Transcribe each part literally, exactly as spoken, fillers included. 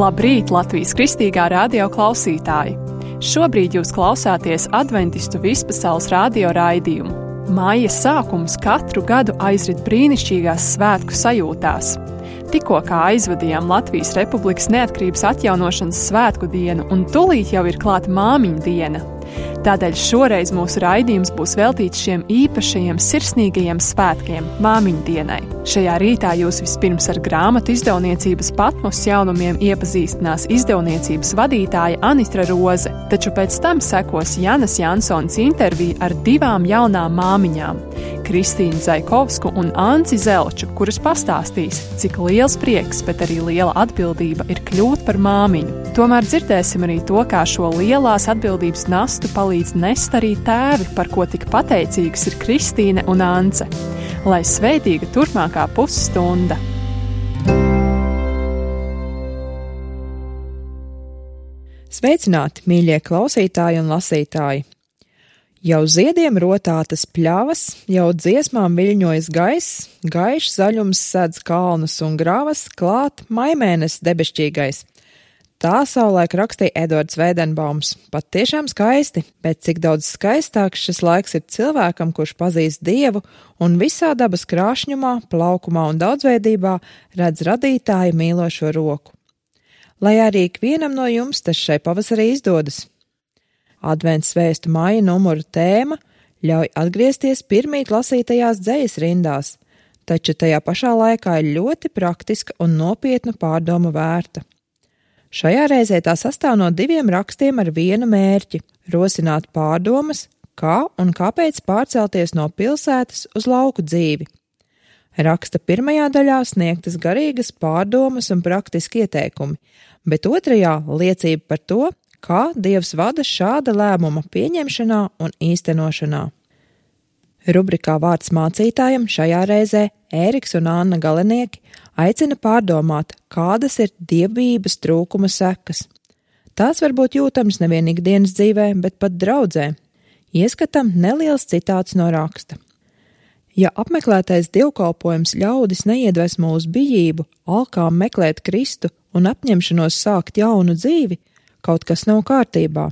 Labrīt, Latvijas kristīgā radio klausītāji! Šobrīd jūs klausāties Adventistu vispasaules radio raidījumu. Maija sākums katru gadu aizrit brīnišķīgās svētku sajūtās. Tikko kā aizvadījām Latvijas Republikas neatkarības atjaunošanas svētku dienu, un tūlīt jau ir klāta māmiņu diena. Tādēļ šoreiz mūsu raidījums būs veltīts šiem īpašajiem sirsnīgajiem svētkiem māmiņu dienai. Šajā rītā jūs vispirms ar grāmatu izdevniecības Patmos jaunumiem iepazīstinās izdevniecības vadītāja Anitra Roze, taču pēc tam sekos Janas Jansons intervija ar divām jaunām māmiņām – Kristīnu Zaikovsku un Anci Zelču, kuras pastāstīs, cik liels prieks, bet arī liela atbildība ir kļūt par māmiņu. Tomēr dzirdēsim arī to, kā šo lielās atbildības nastu palīdz nest arī tēvi, par ko tik pateicīgas ir Kristīne un Ance. Lai svētīga turpmākā pusstunda! Sveicināti, mīļie klausītāji un lasītāji! Jau ziediem rotātas pļavas, jau dziesmām viļņojas gaiss, gaišs zaļums sedz kalnus un gravas, klāt maimēnes debešķīgais. Tā savulaik rakstīja Edvards Veidenbaums. Pat tiešām skaisti, bet cik daudz skaistāks šis laiks ir cilvēkam, kurš pazīst Dievu un visā dabas krāšņumā, plaukumā un daudzveidībā redz radītāja mīlošo roku. Lai arī ikvienam no jums tas šai pavasarī izdodas. Advents svēstu maija numuru tēma ļauj atgriezties pirmīt lasītajās dzejas rindās, taču tajā pašā laikā ir ļoti praktiska un nopietnu pārdomu vērta. Šajā reizē tā sastāv no diviem rakstiem ar vienu mērķi – rosināt pārdomas, kā un kāpēc pārcelties no pilsētas uz lauku dzīvi. Raksta pirmajā daļā sniegtas garīgas pārdomas un praktiski ieteikumi, bet otrajā liecība par to, kā Dievs vada šāda lēmuma pieņemšanā un īstenošanā. Rubrikā Vārds mācītājam šajā reizē Ēriks un Anna Galenieki aicina pārdomāt, kādas ir dievbijības trūkuma sekas. Tās var būt jūtams nevien ikdienas dzīvē, bet pat draudzē. Ieskatam neliels citāts no raksta. Ja apmeklētais dievkalpojums ļaudis neiedvesmo uz bijību, alkām meklēt Kristu un apņemšanos sākt jaunu dzīvi, kaut kas nav kārtībā.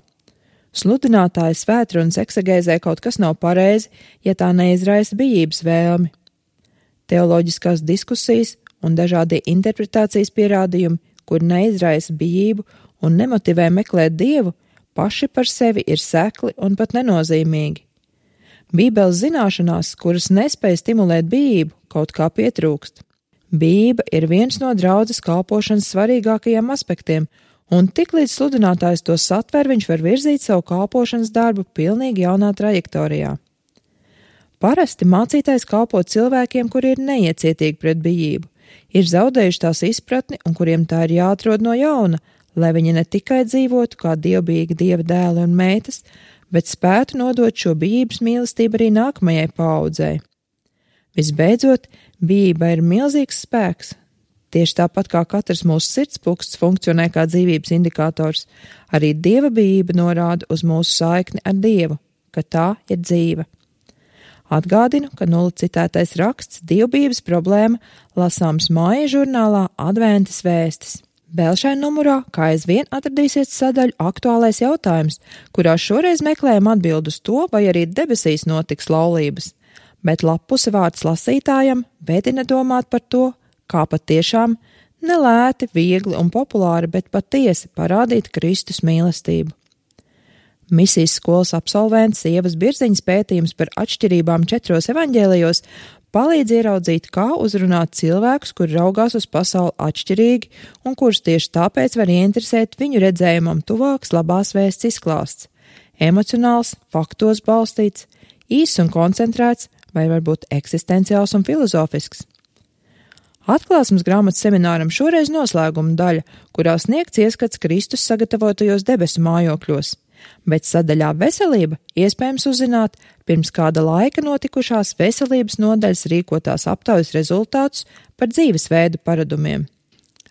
Sludinātāja svētrunas eksegēzē kaut kas nav pareizi, ja tā neizraisa bijības vēlmi. Teoloģiskās diskusijas un dažādie interpretācijas pierādījumi, kur neizraisa bijību un nemotivē meklēt Dievu, paši par sevi ir sekli un pat nenozīmīgi. Bībeles zināšanās, kuras nespēj stimulēt bijību, kaut kā pietrūkst. Bijība ir viens no draudzes kalpošanas svarīgākajiem aspektiem, un tik līdz sludinātājs to satver, viņš var virzīt savu kalpošanas darbu pilnīgi jaunā trajektorijā. Parasti mācītājs kalpo cilvēkiem, kuri ir neiecietīgi pret bijību, ir zaudējuši tās izpratni un kuriem tā ir jāatrod no jauna, lai viņi ne tikai dzīvotu kā dievbijīgi Dieva dēli un meitas, bet spētu nodot šo bijības mīlestību arī nākamajai paaudzei. Visbeidzot, bijība ir milzīgs spēks. Tieši tāpat kā katrs mūsu sirdspuksts funkcionē kā dzīvības indikators, arī Dieva bijība norāda uz mūsu saikni ar Dievu, ka tā ir dzīve. Atgādinu, ka nulle citētais raksts dievbijības problēma lasāms māja žurnālā Adventas vēstis. Vēl šai numurā, kā aizvien atradīsies sadaļu aktuālais jautājums, kurā šoreiz meklējam atbildu uz to, vai arī debesīs notiks laulības, bet lapuse Vārds lasītājam vedina domāt par to, kā patiešām nelēti, viegli un populāri, bet patiesi parādīt Kristus mīlestību. Misijas skolas absolvents Ievas Birziņas pētījums par atšķirībām četros evaņģēlijos palīdz ieraudzīt, kā uzrunāt cilvēkus, kuri raugās uz pasauli atšķirīgi un kurus tieši tāpēc var ieinteresēt viņu redzējumam tuvāks labās vēsts izklāsts. Emocionāls, faktos balstīts, īss un koncentrēts vai varbūt eksistenciāls un filozofisks. Atklāsmes grāmatas semināram šoreiz noslēguma daļa, kurā sniegts ieskats Kristus sagatavotajos debesu mājokļos, bet sadaļā veselība iespējams uzzināt pirms kāda laika notikušās veselības nodaļas rīkotās aptaujas rezultātus par dzīvesveidu paradumiem.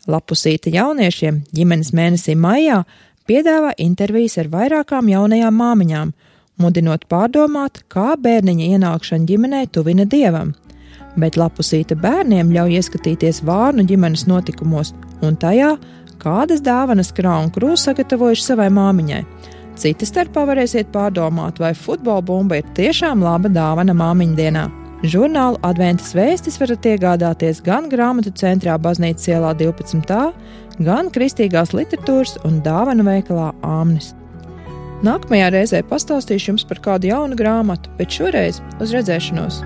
Lapusīte jauniešiem ģimenes mēnesī maijā piedāvā intervijas ar vairākām jaunajām māmiņām, mudinot pārdomāt, kā bērniņa ienākšana ģimenē tuvina Dievam. Bet lapusīte bērniem ļauj ieskatīties Vārnu ģimenes notikumos un tajā, kādas dāvanas Krā un Krū sagatavojuši savai māmiņai. Cita starpā varēsiet pārdomāt, vai futbola bumba ir tiešām laba dāvana māmiņdienā. Žurnālu Adventas vēstis varat iegādāties gan grāmatu centrā Baznīcas ielā divpadsmit A, gan kristīgās literatūras un dāvanu veikalā Āmnis. Nākamajā reizē pastāstīšu jums par kādu jaunu grāmatu, bet šoreiz uz redzēšanos!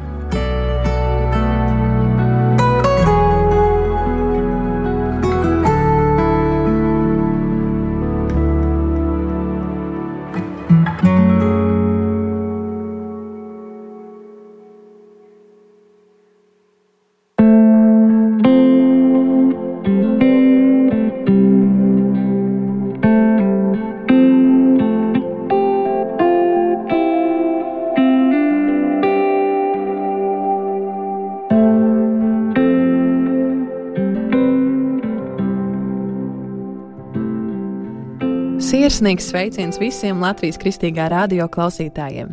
Sirsnīgs sveiciens visiem Latvijas Kristīgā radio klausītājiem.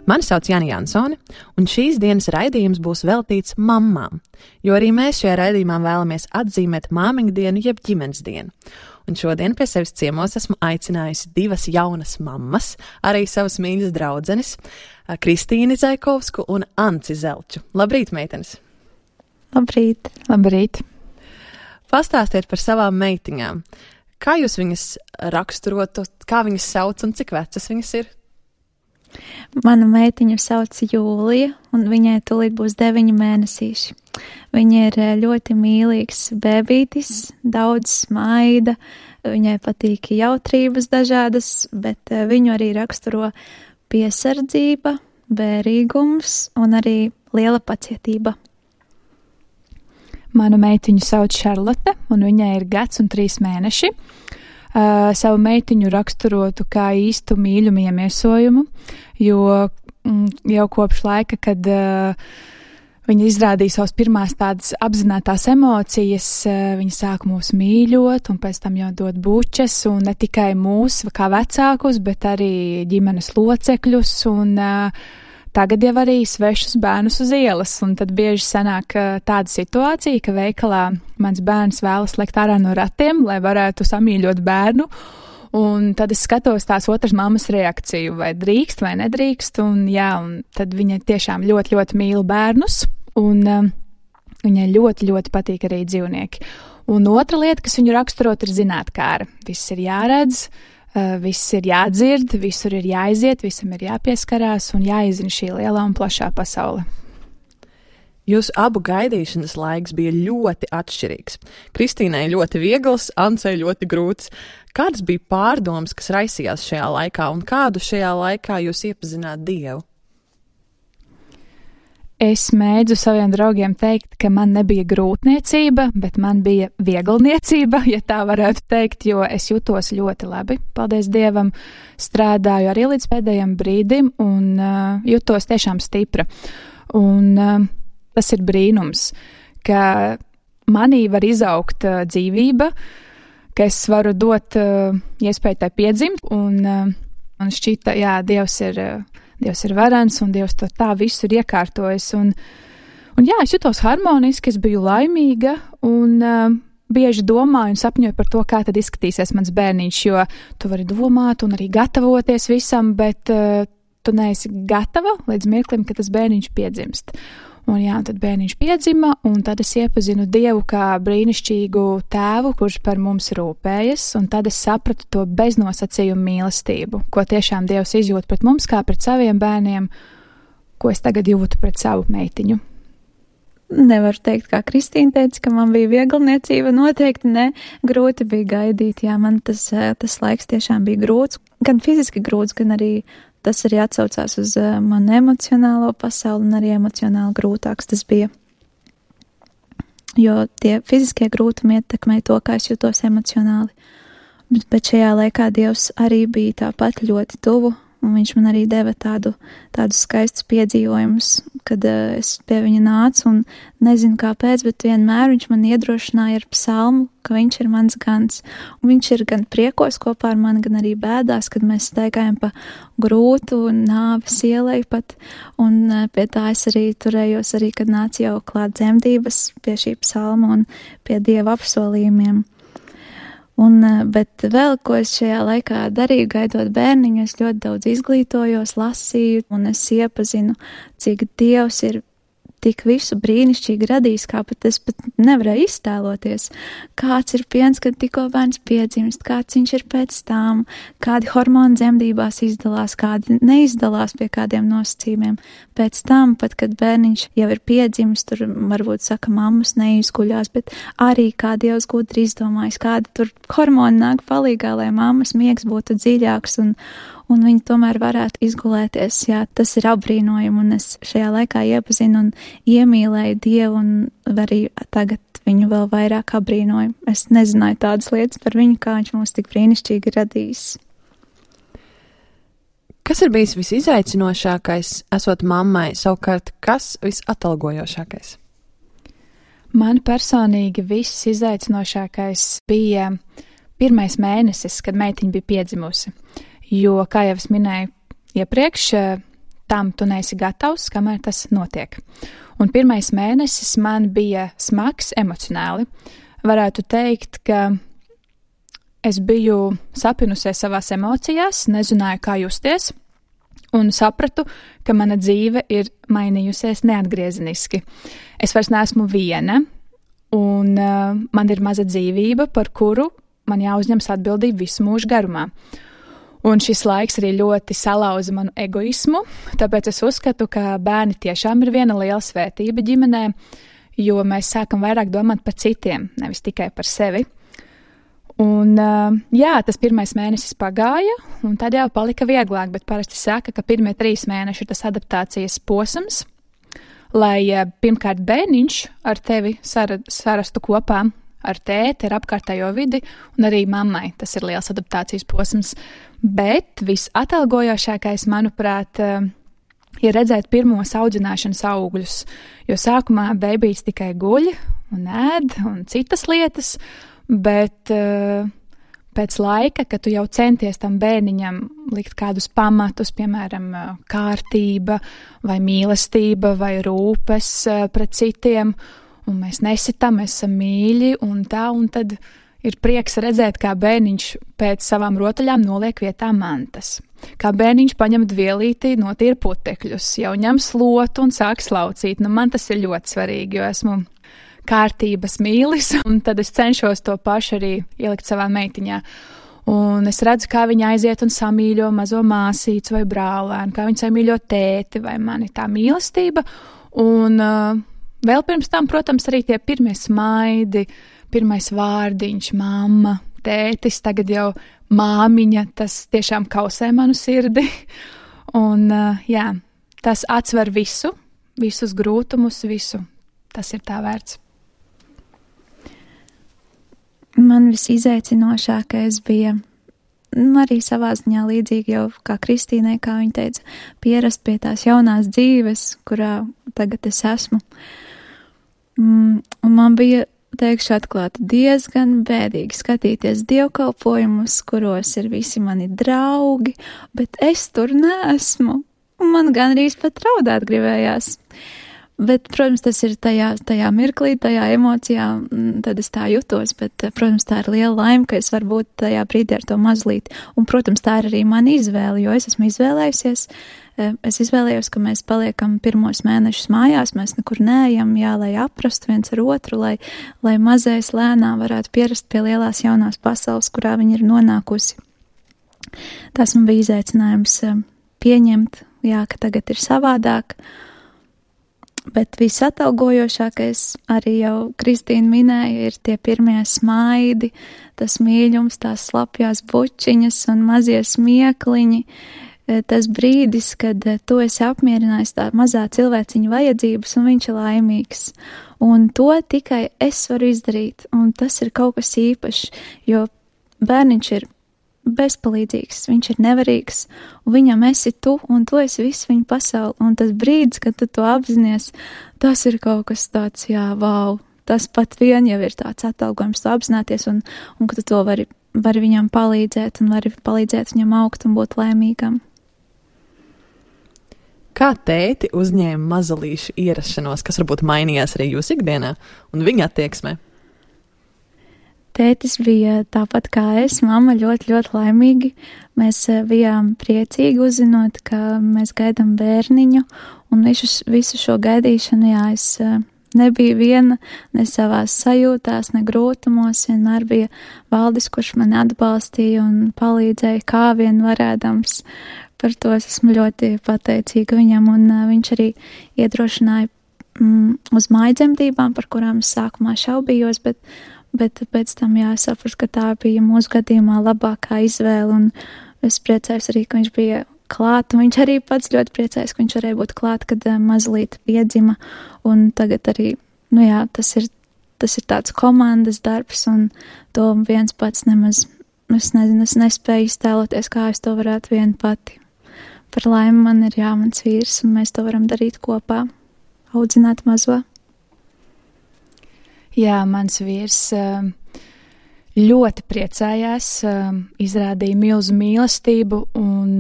Mani sauc Jani Jansone, un šīs dienas raidījums būs veltīts mammām, jo arī mēs šajā raidījumā vēlamies atzīmēt māmiņu dienu jeb ģimenes dienu. Un šodien pie sevis ciemos esmu aicinājusi divas jaunas mammas, arī savas mīļas draudzenes, Kristīni Zaikovsku un Anci Zelču. Labrīt, meitenes! Labrīt! Labrīt! Pastāstiet par savām meitiņām. Kā jūs viņas raksturotu, kā viņas sauc un cik vecas viņas ir? Mana meitiņa sauc Jūlija, un viņai tūlīt būs deviņi mēnesīši. Viņa ir ļoti mīlīgs bēbītis, daudz smaida, viņai patīk jautrības dažādas, bet viņu arī raksturo piesardzība, bērīgums un arī liela pacietība. Manu meitiņu sauc Šarlote, un viņai ir gads un trīs mēneši. Uh, savu meitiņu raksturotu kā īstu mīļumu iemiesojumu, jo mm, jau kopš laika, kad uh, viņa izrādīja savas pirmās tādas apzinātās emocijas, uh, viņa sāka mūs mīļot, un pēc tam jau dot bučas, un ne tikai mūs kā vecākus, bet arī ģimenes locekļus, un uh, tagad jau arī svešus bērnus uz ielas, un tad bieži sanāk tāda situācija, ka veikalā mans bērns vēlas lekt ārā no ratiem, lai varētu samīļot bērnu, un tad es skatos tās otras mammas reakciju, vai drīkst vai nedrīkst, un jā, un tad viņa tiešām ļoti, ļoti mīl bērnus, un um, viņai ļoti, ļoti patīk arī dzīvnieki. Un otra lieta, kas viņu raksturot, ir zinātkāra. Viss ir jāredz, Uh, viss ir jādzird, visur ir jāiziet, visam ir jāpieskarās un jāizzina šī lielā un plašā pasaule. Jūsu abu gaidīšanas laiks bija ļoti atšķirīgs. Kristīnai ļoti viegls, Ancei ļoti grūts. Kādas bija pārdomas, kas raisījās šajā laikā, un kādu šajā laikā jūs iepazināt Dievu? Es mēdzu saviem draugiem teikt, ka man nebija grūtniecība, bet man bija vieglniecība, ja tā varētu teikt, jo es jutos ļoti labi. Paldies Dievam, strādāju arī līdz pēdējiem brīdim un uh, jutos tiešām stipra. Un uh, tas ir brīnums, ka manī var izaugt uh, dzīvība, ka es varu dot uh, iespēju tai piedzimt, un uh, man šķita, jā, Dievs ir... Uh, Dievs ir varens, un Dievs to tā visu ir iekārtojis. Un, un jā, es jutos harmoniski, es biju laimīga, un uh, bieži domāju un sapņoju par to, kā tad izskatīsies mans bērniņš, jo tu vari domāt un arī gatavoties visam, bet uh, tu neesi gatava līdz mirklim, ka tas bērniņš piedzimst. Un jā, tad bērniņš piedzima, un tad es iepazinu Dievu kā brīnišķīgu tēvu, kurš par mums rūpējas, un tad es sapratu to beznosacījumu mīlestību, ko tiešām Dievs izjūt pret mums kā pret saviem bērniem, ko es tagad jūtu pret savu meitiņu. Nevaru teikt, kā Kristīna teica, ka man bija vieglniecība, noteikti ne, grūti bija gaidīt, jā, man tas, tas laiks tiešām bija grūts, gan fiziski grūts, gan arī tas arī atsaucās uz uh, manu emocionālo pasauli, un arī emocionāli grūtāks tas bija. Jo tie fiziskie grūtumi ietekmē to, kā es jūtos emocionāli. Bet, bet šajā laikā Dievs arī bija tāpat ļoti tuvu, un viņš man arī deva tādu, tādus skaistus piedzīvojumus, kad uh, es pie viņa nācu, un nezinu kāpēc, bet vienmēr viņš man iedrošināja ar psalmu, ka viņš ir mans gans. Un viņš ir gan priekos kopā ar mani, gan arī bēdās, kad mēs staigājam pa grūtu un nāves ielai pat, un uh, pie tā es arī turējos arī, kad nāca jau klāt dzemdības pie šī psalma un pie Dieva apsolījumiem. Un, bet vēl, ko es šajā laikā darīju, gaidot bērniņu, es ļoti daudz izglītojos, lasīju, un es iepazinu, cik Dievs ir tik visu brīnišķīgi radījis, kā pat es pat nevarēju iztēloties. Kāds ir piens, kad tikko bērns piedzimst, kāds viņš ir pēc tām, kādi hormoni dzemdībās izdalās, kādi neizdalās pie kādiem nosacījumiem. Pēc tam, pat kad bērniņš jau ir piedzimis, tur varbūt saka, mammas neizguļās, bet arī kā Dievs gudri izdomājis, kādi tur hormoni nāk palīgā, lai mammas miegs būtu dziļāks un un viņi tomēr varētu izgulēties. Jā, tas ir apbrīnojumi, un es šajā laikā iepazinu un iemīlēju Dievu, un arī tagad viņu vēl vairāk apbrīnoju. Es nezināju tādas lietas par viņu, kā viņš mūs tik brīnišķīgi radījis. Kas ir bijis visizaicinošākais, esot mammai, savukārt kas visatalgojošākais? Man personīgi viss izaicinošākais bija pirmais mēnesis, kad meitiņa bija piedzimusi. Jo, kā jau es minēju iepriekš, tam tu neesi gatavs, kamēr tas notiek. Un pirmais mēnesis man bija smags emocionāli. Varētu teikt, ka es biju sapinusies savās emocijās, nezināju, kā justies, un sapratu, ka mana dzīve ir mainījusies neatgriezeniski. Es vairs neesmu viena, un uh, man ir maza dzīvība, par kuru man jāuzņems atbildība visu mūžu garumā. Un šis laiks arī ļoti salauza manu egoismu, tāpēc es uzskatu, ka bērni tiešām ir viena liela svētība ģimenē, jo mēs sākam vairāk domāt par citiem, nevis tikai par sevi. Un jā, tas pirmais mēnesis pagāja, un tad jau palika vieglāk, bet parasti saka, ka pirmie trīs mēneši ir tas adaptācijas posms, lai pirmkārt bērniņš ar tevi sarastu kopā, ar tēti, ar apkārtējo vidi, un arī mammai tas ir liels adaptācijas posms. Bet visatalgojošākais, manuprāt, ir redzēt pirmos audzināšanas augļus, jo sākumā bebijs tikai guļ un ēd un citas lietas, bet pēc laika, kad tu jau centies tam bērniņam likt kādus pamatus, piemēram, kārtība vai mīlestība vai rūpes pret citiem, un mēs nesitam, mēs esam mīļi, un tā, un tad ir prieks redzēt, kā bērniņš pēc savām rotaļām noliek vietā mantas. Kā bērniņš paņem dvielīti, notīra putekļus, jau ņem slotu un sāk slaucīt. Nu, man tas ir ļoti svarīgi, jo esmu kārtības mīlis, un tad es cenšos to pašu arī ielikt savā meitiņā. Un es redzu, kā viņa aiziet un samīļo mazo māsīcu vai brālēnu, kā viņa samīļo tēti vai mani, tā mīlestība. Un uh, vēl pirms tam, protams, arī tie pirmie smaidi, pirmais vārdiņš, mamma, tētis, tagad jau māmiņa, tas tiešām kausē manu sirdi. Un, jā, tas atsver visu, visus grūtumus, visu. Tas ir tā vērts. Man visizaicinošākais bija arī savā ziņā līdzīgi jau kā Kristīnai, kā viņa teica, pierast pie tās jaunās dzīves, kurā tagad es esmu. Un man bija, teikšu atklāti, diezgan bēdīgi skatīties dievkalpojumus, kuros ir visi mani draugi, bet es tur neesmu. Un man gan arī pat raudāt gribējās. Bet, protams, tas ir tajā, tajā mirklī, tajā emocijā, tad es tā jutos, bet, protams, tā ir liela laime, ka es varu būt tajā brīdī ar to mazlīt. Un, protams, tā ir arī mana izvēle, jo es esmu izvēlējusies, es izvēlējos, ka mēs paliekam pirmos mēnešus mājās, mēs nekur neejam, jā, lai aprastu viens ar otru, lai, lai mazais lēnām varētu pierast pie lielās jaunās pasaules, kurā viņa ir nonākusi. Tas man bija izaicinājums pieņemt, jā, ka tagad ir savādāk. Bet visatalgojošākais, arī jau Kristīna minēja, ir tie pirmie smaidi, tas mīļums, tās slapjās bučiņas un mazie smiekliņi, tas brīdis, kad tu esi apmierinājis tā mazā cilvēciņa vajadzības un viņš ir laimīgs. Un to tikai es varu izdarīt, un tas ir kaut kas īpašs, jo bērniņš ir bezpalīdzīgs, viņš ir nevarīgs, un viņam esi tu, un tu esi viss viņa pasauli, un tas brīdis, kad tu to apzinies, tas ir kaut kas tāds, jā, vau, tas pat vien jau ir tāds atalgojums, tu apzināties, un, un ka tu to vari, vari viņam palīdzēt, un vari palīdzēt viņam augt un būt laimīgam. Kā tēti uzņēma mazalīšu ierašanos, kas varbūt mainījās arī jūsu ikdienā un viņa attieksmē? Tētis bija tāpat kā es, mamma ļoti, ļoti laimīgi. Mēs bijām priecīgi uzzinot, ka mēs gaidām bērniņu, un visu, visu šo gaidīšanu, jā, es nebiju viena, ne savās sajūtās, ne grūtumos, vienmēr bija Valdis, kurš mani atbalstīja un palīdzēja, kā vien varēdams. Par to es esmu ļoti pateicīga viņam, un viņš arī iedrošināja mm, uz mājdzemdībām, par kurām es sākumā šaubījos, bet Bet pēc tam jāsaprot, ka tā bija mūsu gadījumā labākā izvēle, un es priecājos arī, ka viņš bija klāt, un viņš arī pats ļoti priecājos, ka viņš varēja būt klāt, kad mazlīt piedzima, un tagad arī, nu jā, tas ir, tas ir tāds komandas darbs, un to viens pats nemaz, es nezinu, es nespēju iztēloties, kā es to varētu vien pati. Par laimi man ir jā, mans vīrs, un mēs to varam darīt kopā, audzināt mazo. Jā, mans vīrs ļoti priecājās, izrādīja milzu mīlestību un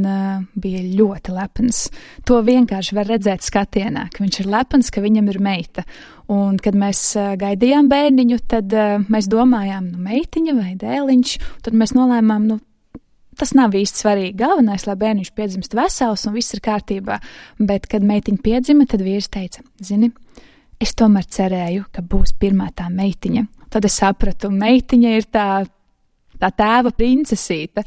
bija ļoti lepns. To vienkārši var redzēt skatienā, ka viņš ir lepns, ka viņam ir meita. Un, kad mēs gaidījām bērniņu, tad mēs domājām, nu, meitiņa vai dēliņš, tad mēs nolēmām, nu, tas nav īsti svarīgi. Galvenais, lai bērniņš piedzimst vesels un viss ir kārtībā. Bet, kad meitiņa piedzima, tad vīrs teica, zini, es tomēr cerēju, ka būs pirmā tā meitiņa. Tad es sapratu, meitiņa ir tā, tā tēva princesīte.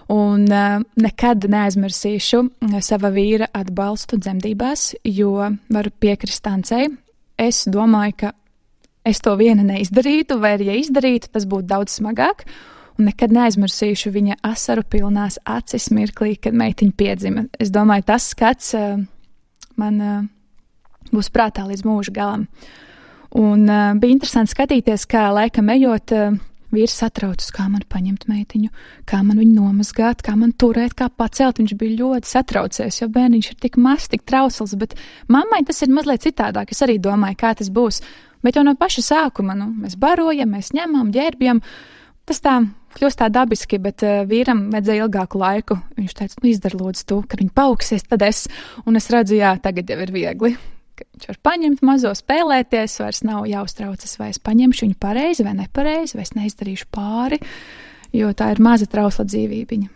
Un uh, nekad neaizmirsīšu sava vīra atbalstu dzemdībās, jo varu piekrist Ancei. Es domāju, ka es to viena neizdarītu, vai arī, ja izdarītu, tas būtu daudz smagāk. Un nekad neaizmirsīšu viņa asaru pilnās acis mirklī, kad meitiņa piedzima. Es domāju, tas skats uh, man... Uh, būs prātā līdz mūža galam. Un uh, bija interesanti skatīties, kā laikam ejot, uh, vīrs satraucas, kā man paņemt meitiņu, kā man viņu nomazgāt, kā man turēt, kā pacelt. Viņš bija ļoti satraucies, jo bērniņš ir tik mazs, tik trausls, bet mammai tas ir mazliet citādāk. Es arī domāju, kā tas būs. Bet jau no paša sākuma, nu, mēs barojam, mēs ņemam, ģērbjam. Tas tā kļūst tā dabiski, bet uh, vīram vajadzēja ilgāku laiku. Viņš teica, nu, izdar lūdzu tu, kad viņi paaugsies, tad es. Un es redzu, jā, tagad jau ir viegli. Viņš var paņemt mazo, spēlēties, vairs nav jāuztraucas, vai es paņemšu viņu pareizi vai nepareizi, vai es neizdarīšu pāri, jo tā ir maza trausla dzīvībiņa.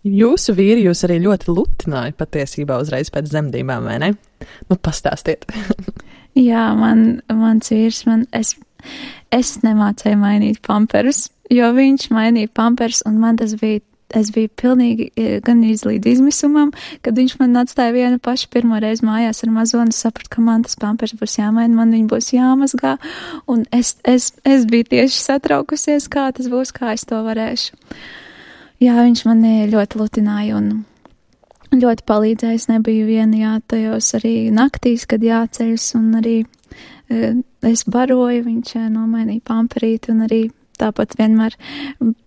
Jūsu vīri jūs arī ļoti lutināja patiesībā uzreiz pēc dzemdībām, vai ne? Nu, pastāstiet. Jā, man, mans vīrs, man, es, es nemācēju mainīt pamperus, jo viņš mainīja pamperus, un man tas bija Es biju pilnīgi gan līdz izmisumam, kad viņš man atstāja vienu pašu pirmo reizi mājās ar mazo, un es sapratu, ka man tas pampers būs jāmaina, man viņi būs jāmazgā, un es, es, es biju tieši satraukusies, kā tas būs, kā es to varēšu. Jā, viņš mani ļoti lutināja un ļoti palīdzēja, es nebiju viena, jā, tajos arī naktīs, kad jāceļas, un arī es baroju, viņš nomainīja pamperīti, un arī tāpat vienmēr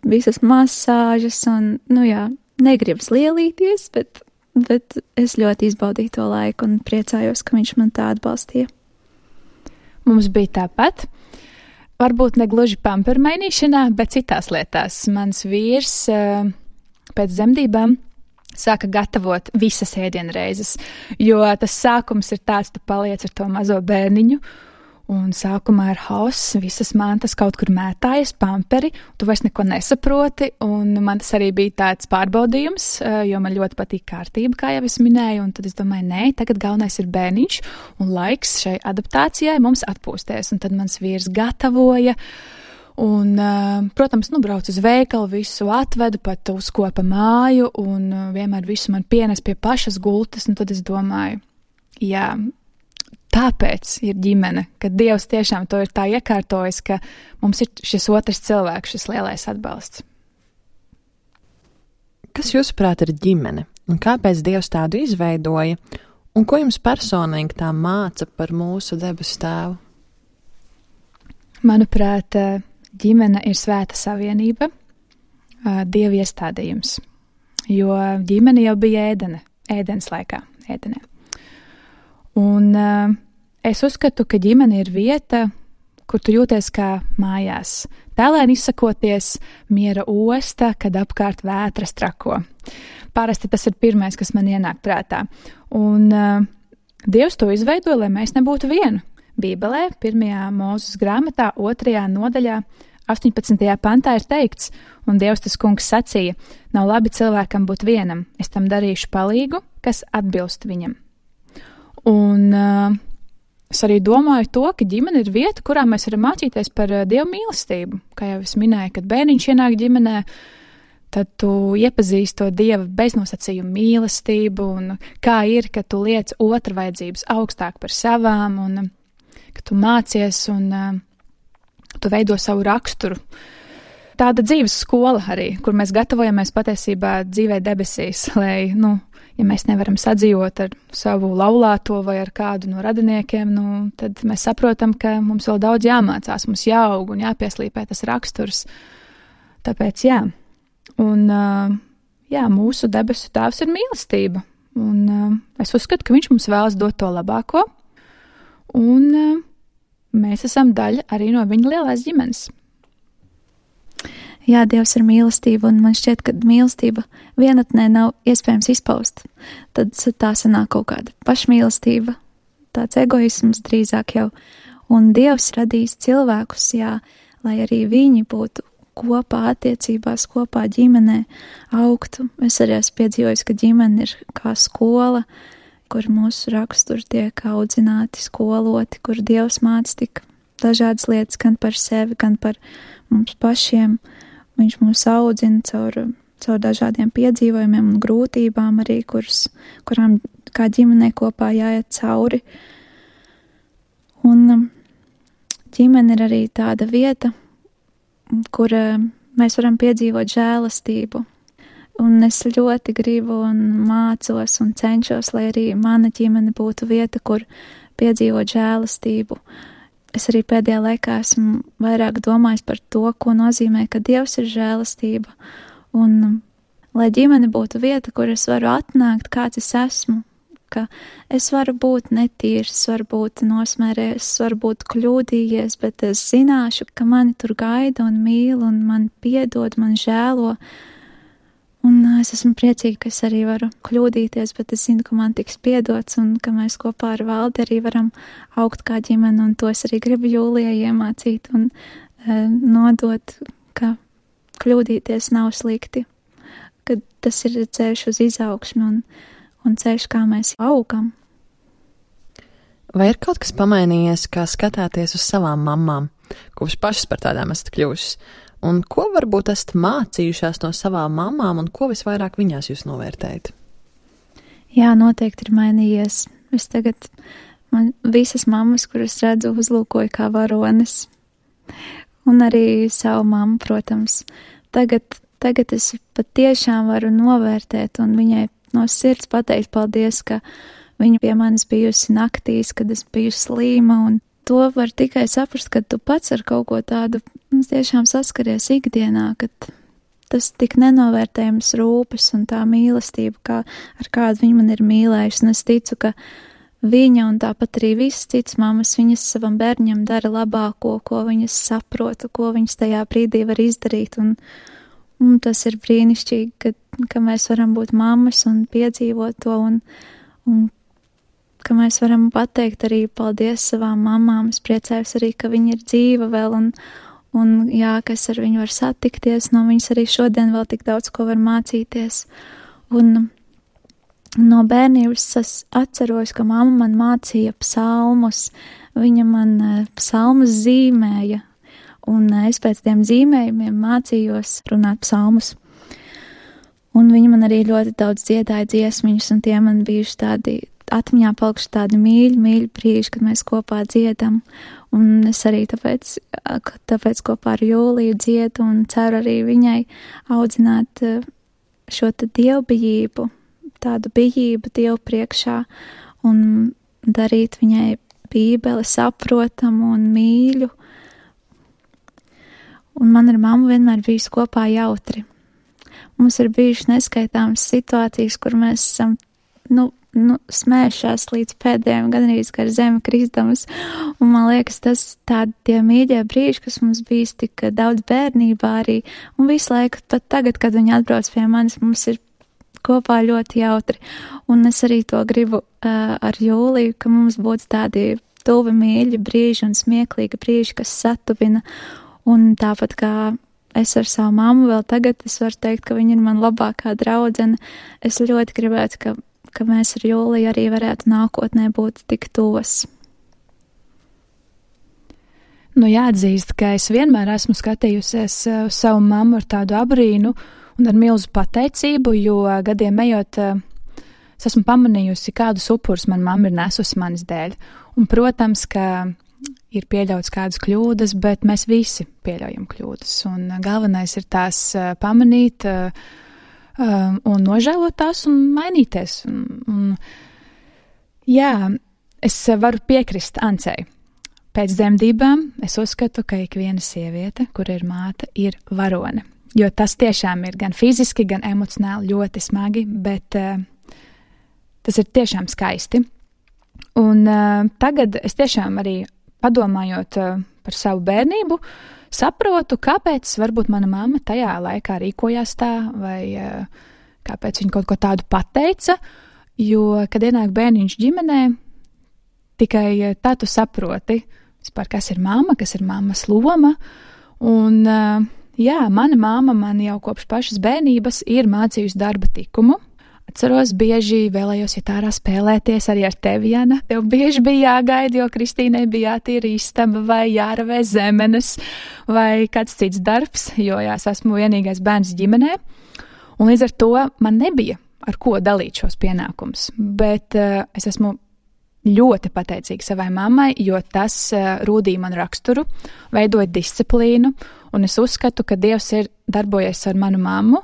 visas masāžas un, nu jā, negribas lielīties, bet, bet es ļoti izbaudīju to laiku un priecājos, ka viņš man tā atbalstīja. Mums bija tāpat. Varbūt ne gluži pamperu mainīšanā, bet citās lietās. Mans vīrs pēc dzemdībām sāka gatavot visas ēdienreizes, jo tas sākums ir tāds, tu paliec ar to mazo bērniņu, un sākumā ir hauss, visas mantas kaut kur mētājas, pamperi, tu vairs neko nesaproti, un man tas arī bija tāds pārbaudījums, jo man ļoti patīk kārtība, kā jau es minēju, un tad es domāju, nē, tagad galvenais ir bērniņš, un laiks šai adaptācijai mums atpūsties, un tad mans vīrs gatavoja, un, protams, nu, brauc uz veikalu, visu atvedu, pat uzkopa māju, un vienmēr visu man pienes pie pašas gultas, un tad es domāju, jā, tāpēc ir ģimene, ka Dievs tiešām to ir tā iekārtojis, ka mums ir šis otrs cilvēks, šis lielais atbalsts. Kas jūsuprāt ir ģimene? Un kāpēc Dievs tādu izveidoja? Un ko jums personīgi tā māca par mūsu debesu tēvu? Manuprāt, ģimene ir svēta savienība, Dieva iestādījums, jo ģimene jau bija ēdene, ēdens laikā, ēdenē. Un uh, es uzskatu, ka ģimene ir vieta, kur tu jūties kā mājās. Tēlēni izsakoties, miera osta, kad apkārt vētras trako. Parasti tas ir pirmais, kas man ienāk prātā. Un uh, Dievs to izveidoja, lai mēs nebūtu vienu. Bībelē, pirmajā Mūzes grāmatā, otrajā nodaļā, astoņpadsmitajā pantā ir teikts, un Dievs tas kungs sacīja, nav labi cilvēkam būt vienam, es tam darīšu palīgu, kas atbilst viņam. Un uh, es arī domāju to, ka ģimene ir vieta, kurā mēs varam mācīties par uh, Dieva mīlestību. Kā jau es minēju, kad bērniņš ienāk ģimenē, tad tu iepazīsti to Dieva beznosacījumu mīlestību, un kā ir, ka tu liec otra vajadzības augstāk par savām, un ka tu mācies un uh, tu veido savu raksturu. Tāda dzīves skola arī, kur mēs gatavojamies patiesībā dzīvē debesīs, lai, nu, ja mēs nevaram sadzīvot ar savu laulāto vai ar kādu no radiniekiem, nu, tad mēs saprotam, ka mums vēl daudz jāmācās, mums jāaug un jāpieslīpē tas raksturs. Tāpēc, jā. Un, uh, jā, mūsu debesu tēvs ir mīlestība. Un uh, es uzskatu, ka viņš mums vēlas dot to labāko. Un uh, mēs esam daļa arī no viņa lielās ģimenes. Jā, Dievs ir mīlestība, un man šķiet, ka mīlestība vienatnē nav iespējams izpaust. Tad tā sanāk kaut kāda pašmīlestība, tāds egoisms drīzāk jau. Un Dievs radīs cilvēkus, jā, lai arī viņi būtu kopā attiecībās, kopā ģimenē augtu. Es arī esmu piedzīvojis, ka ģimene ir kā skola, kur mūsu raksturi tiek audzināti, skoloti, kur Dievs māca tik dažādas lietas gan par sevi, gan par mums pašiem. Viņš mūs audzina caur, caur dažādiem piedzīvojumiem un grūtībām arī, kuras, kurām kā ģimenē kopā jāiet cauri. Un ģimene ir arī tāda vieta, kur mēs varam piedzīvot žēlastību. Un es ļoti gribu un mācos un cenšos, lai arī mana ģimene būtu vieta, kur piedzīvot žēlastību. Es arī pēdējā laikā esmu vairāk domājis par to, ko nozīmē, ka Dievs ir žēlastība. Un lai ģimene būtu vieta, kur es varu atnākt, kāds es esmu, ka es varu būt netīrs, es varu būt nosmērējies, es varu būt kļūdījies, bet es zināšu, ka mani tur gaida un mīl un man piedod, man žēlo. Un es esmu priecīga, ka es arī varu kļūdīties, bet es zinu, ka man tiks piedots un ka mēs kopā ar Valdi arī varam augt kā ģimene, un to es arī gribu Jūlijai iemācīt un e, nodot, ka kļūdīties nav slikti, ka tas ir ceļš uz izaugsmi un, un ceļš, kā mēs augam. Vai ir kaut kas pamainījies, kā skatāties uz savām mammām, kopš pašas par tādām esat kļuvušas? Un ko varbūt esat mācījušās no savām mamām, un ko visvairāk viņās jūs novērtējat? Jā, noteikti ir mainījies. Es tagad, man visas mammas, kuras redzu, uzlūkoju kā varones. Un arī savu mammu, protams. Tagad, tagad es patiešām varu novērtēt un viņai no sirds pateikt paldies, ka viņa pie manis bijusi naktīs, kad es biju slīma, un to var tikai saprast, kad tu pats ar kaut ko tādu tiešām saskaries ikdienā, kad tas tik nenovērtējams rūpes un tā mīlestība, kā, ar kādu viņa man ir mīlējusi. Un es ticu, ka viņa un tāpat arī visas citas mammas, viņas savam bērņam dara labāko, ko viņas saprota, ko viņas tajā brīdī var izdarīt. Un, un tas ir brīnišķīgi, ka, ka mēs varam būt mammas un piedzīvot to un, un ka mēs varam pateikt arī paldies savām mamām. Es priecājos arī, ka viņa ir dzīva vēl un, un jā, ka es ar viņu var satikties, no viņas arī šodien vēl tik daudz ko var mācīties. Un no bērnības es atceros, ka mamma man mācīja psalmus, viņa man psalmus zīmēja, un es pēc tiem zīmējumiem mācījos runāt psalmus. Un viņa man arī ļoti daudz dziedāja dziesmiņus, un tie man bijuši tādi atmiņā palikuši tādi mīļi, mīļi brīži, kad mēs kopā dziedam, un es arī tāpēc, tāpēc kopā ar Jūliju dziedu un ceru arī viņai audzināt šo te dievbijību, tādu bijību Dievu priekšā un darīt viņai bībeli saprotamu un mīļu. Un man ar mammu vienmēr bijis kopā jautri. Mums ir bijušas neskaitāmas situācijas, kur mēs esam, nu, nu, smējušās līdz pēdējiem, gan arī gar zemi kristamas, un man liekas, tas tādi tie mīļie brīži, kas mums bijis tik daudz bērnībā arī, un visu laiku, pat tagad, kad viņi atbrauc pie manis, mums ir kopā ļoti jautri, un es arī to gribu uh, ar Jūliju, ka mums būtu tādi tuvi mīļi brīži un smieklīgi brīži, kas satuvina, Un tāpat kā es ar savu mammu vēl tagad, es varu teikt, ka viņa ir man labākā draudzene. Es ļoti gribētu, ka, ka mēs ar Jūliju arī varētu nākotnē būt tik tuvas. Nu, jāatzīst, ka es vienmēr esmu skatījusies uz savu mammu ar tādu abrīnu un ar milzu pateicību, jo gadiem ejot, es esmu pamanījusi, kādus upurus man mamma ir nesusi manis dēļ. Un, protams, ka ir pieļauts kādas kļūdas, bet mēs visi pieļaujam kļūdas. Un galvenais ir tās pamanīt un nožēlot tās un mainīties. Un, un, jā, es varu piekrist Ancei. Pēc dzemdībām es uzskatu, ka ikviena sieviete, kur ir māte, ir varone. Jo tas tiešām ir gan fiziski, gan emocionāli ļoti smagi, bet uh, tas ir tiešām skaisti. Un uh, tagad es tiešām arī padomājot uh, par savu bērnību, saprotu, kāpēc varbūt mana mamma tajā laikā rīkojās tā, vai uh, kāpēc viņa kaut ko tādu pateica, jo, kad ienāk bērniņš ģimenē, tikai uh, tā tu saproti, vispār, kas ir mamma, kas ir mammas loma, un uh, jā, mana mamma man jau kopš pašas bērnības ir mācījusi darba tikumu. Atceros, bieži vēlējos iet ārā spēlēties arī ar tevi, Jana. Tev bieži bija jāgaida, jo Kristīnai bija jātīra istaba vai jāravē zemenes vai kāds cits darbs, jo jā, es esmu vienīgais bērns ģimenē. Un līdz ar to man nebija ar ko dalīt šos pienākumus, bet uh, es esmu ļoti pateicīga savai mammai, jo tas uh, rūdīja man raksturu, veidoja disciplīnu, un es uzskatu, ka Dievs ir darbojies ar manu mammu,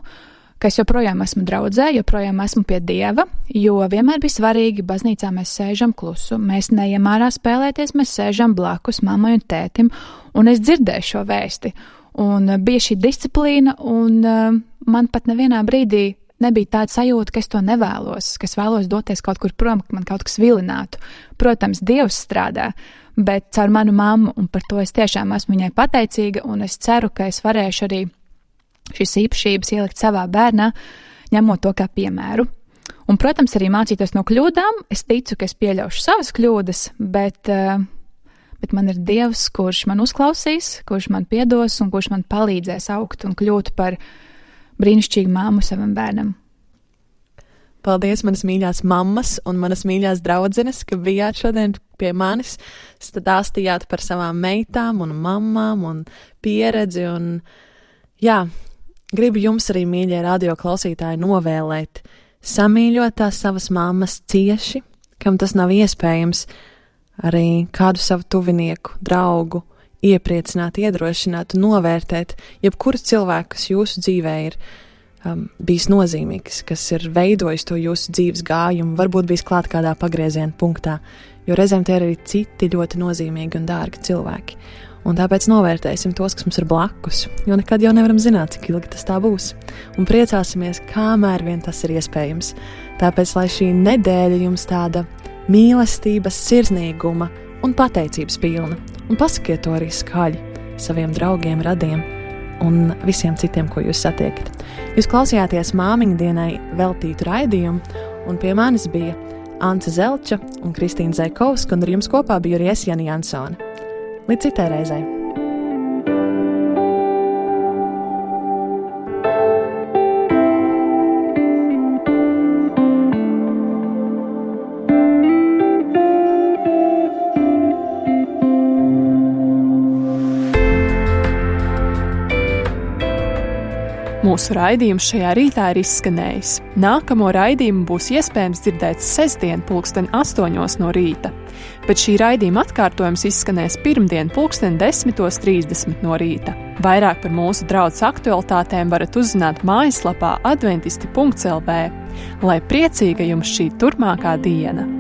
ka es joprojām esmu draudzē, joprojām esmu pie Dieva, jo vienmēr bija svarīgi, baznīcā mēs sēžam klusu, mēs neejam ārā spēlēties, mēs sēžam blakus mammai un tētim, un es dzirdēju šo vēsti, un uh, bija šī disciplīna, un uh, man pat nevienā brīdī nebija tāda sajūta, ka es to nevēlos, ka es vēlos doties kaut kur prom, ka man kaut kas vilinātu. Protams, Dievs strādā, bet caur manu mammu, un par to es tiešām esmu viņai pateicīga, un es ceru, ka es varēšu arī šīs īpašības ielikt savā bērnā, ņemot to kā piemēru. Un, protams, arī mācīties no kļūdām. Es ticu, ka es pieļaušu savas kļūdas, bet, bet man ir Dievs, kurš man uzklausīs, kurš man piedos un kurš man palīdzēs augt un kļūt par brīnišķīgu māmu savam bērnam. Paldies, manas mīļās mammas un manas mīļās draudzenes, ka bijāt šodien pie manis, stāstījāt par savām meitām un mammām un pieredzi. Un, jā, gribu jums arī, mīļie radio klausītāji, novēlēt, samīļot tās savas mammas cieši, kam tas nav iespējams, arī kādu savu tuvinieku, draugu, iepriecināt, iedrošināt un novērtēt jebkuru cilvēku, kas jūsu dzīvē ir um, bijis nozīmīgs, kas ir veidojis to jūsu dzīves gājumu, varbūt bijis klāt kādā pagrieziena punktā, jo reizēm tie ir arī citi ļoti nozīmīgi un dārgi cilvēki. Un tāpēc novērtēsim tos, kas mums ir blakus, jo nekad jau nevaram zināt, cik ilgi tas tā būs. Un priecāsimies, kamēr vien tas ir iespējams. Tāpēc, lai šī nedēļa jums tāda mīlestības, sirsnīguma un pateicības pilna. Un pasakiet to arī skaļi saviem draugiem, radiem un visiem citiem, ko jūs satiekat. Jūs klausījāties māmiņu dienai veltītu raidījumu, un pie manis bija Ance Zelča un Kristīna Zaikovska, un ar jums kopā bija arī es, Jana Jansone. Līdz citai reizei! Mūsu raidījums šajā rītā ir izskanējis. Nākamo raidījumu būs iespējams dzirdēt sestdien pulksten astoņos no rīta, bet šī raidījuma atkārtojums izskanēs pirmdien pulksten desmitos trīsdesmit no rīta. Vairāk par mūsu draudzes aktualitātēm varat uzzināt mājaslapā adventisti punkts el vē. Lai priecīga jums šī turpmākā diena!